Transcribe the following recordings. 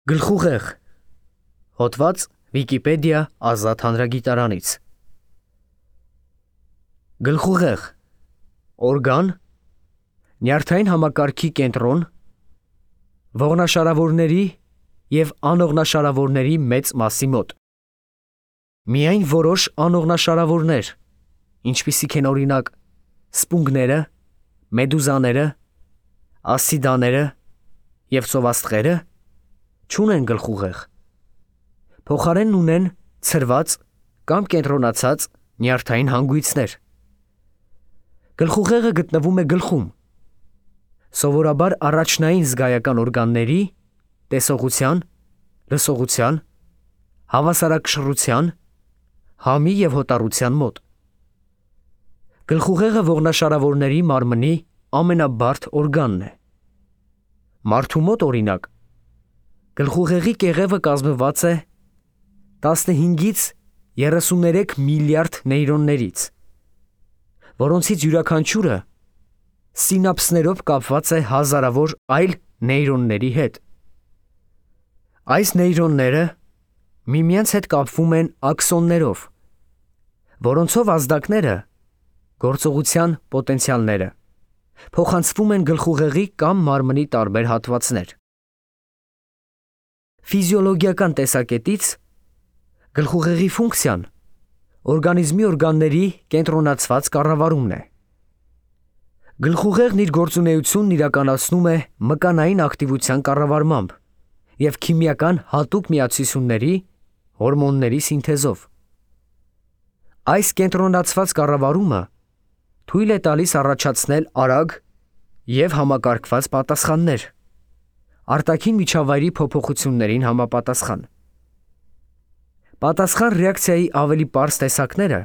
Գլխուղեղ, հոդված Վիկիպեդիա ազատ հանրագիտարանից։ Գլխուղեղ, օրգան, նյարդային համակարգի կենտրոն, ողնաշարավորների և անողնաշարավորների մեծ մասի մոտ։ Միայն որոշ անողնաշարավորներ, ինչպիսիք են օրինակ սպունգները, մեդուզաները, ասիդաները և ծովաստղերը, չունեն գլխուղեղ, փոխարենն ունեն ցրված կամ կենտրոնացած նյարդային հանգույցներ։ Գլխուղեղը գտնվում է գլխում, սովորաբար առաջնային զգայական օրգանների՝ տեսողության, լսողության, հավասարակշռության, համի և հոտառության մոտ։ Գլխուղեղը ողնաշարավորների մարմնի ամենաբարդ օրգանն է։ Մարդու մոտ, օրինակ, գլխուղեղի կեղևը կազմված է 15-ից 33 միլիարդ նեյրոններից, որոնցից յուրաքանչյուրը սինապսներով կապված է հազարավոր այլ նեյրոնների հետ։ Այս նեյրոնները միմյանց հետ կապվում են աքսոններով, որոնցով ազդակները, գործողության պոտենցիալները, փոխանցվում են գլխուղեղի կամ մարմնի տարբեր հատվածներ։ Ֆիզիոլոգիական տեսակետից գլխուղեղի ֆունկցիան օրգանիզմի օրգանների կենտրոնացված կառավարումն է։ Գլխուղեղն իր գործունեությունն իրականացնում է մկանային ակտիվության կառավարմամբ և քիմիական հատուկ միացությունների, հորմոնների սինթեզով։ Այս կենտրոնացված կառավարումը թույլ է տալիս առաջացնել արագ և համակարգված պատասխաններ, արտաքին միջավայրի փոփոխություններին համապատասխան։ Պատասխան ռեակցիայի ավելի պարզ տեսակները,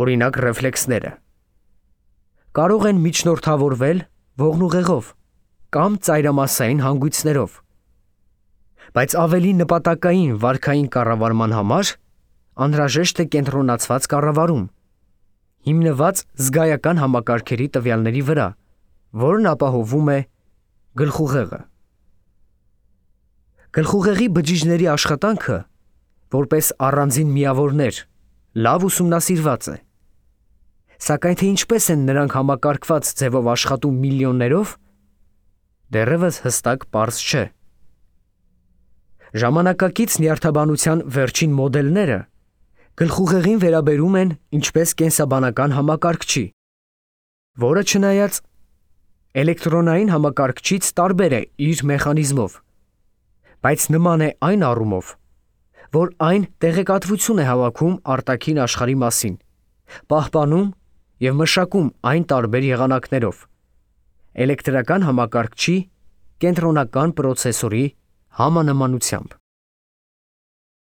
օրինակ ռեֆլեքսները, կարող են միջնորդավորվել ողնուղեղով կամ ծայրամասային հանգույցներով, բայց ավելի նպատակային վարքային կառավարման համար անհրաժեշտ է կենտրոնացված կառավարում, հիմնված զգայական համակարգերի տվյալների վրա, որն ապահովում է գլխուղեղը։ Գլխուղեղի բջիջների աշխատանքը, որպես առանձին միավորներ, լավ ուսումնասիրված է, սակայն թե ինչպես են նրանք համակարգված ձևով աշխատում միլիոններով, դեռևս հստակ պարզ չէ։ Ժամանակակից նյարդաբանության վերջին մոդելները գլխուղեղին վերաբերում են ինչպես կենսաբանական համակարգչի, որը չնայած էլեկտրոնային համակարգչից տարբեր է իր մեխանիզմով, բայց նման է այն առումով, որ այն տեղեկատվություն է հավաքում արտաքին աշխարհի մասին, պահպանում և մշակում այն տարբեր եղանակներով, էլեկտրական համակարգչի կենտրոնական պրոցեսորի համանմանությամբ։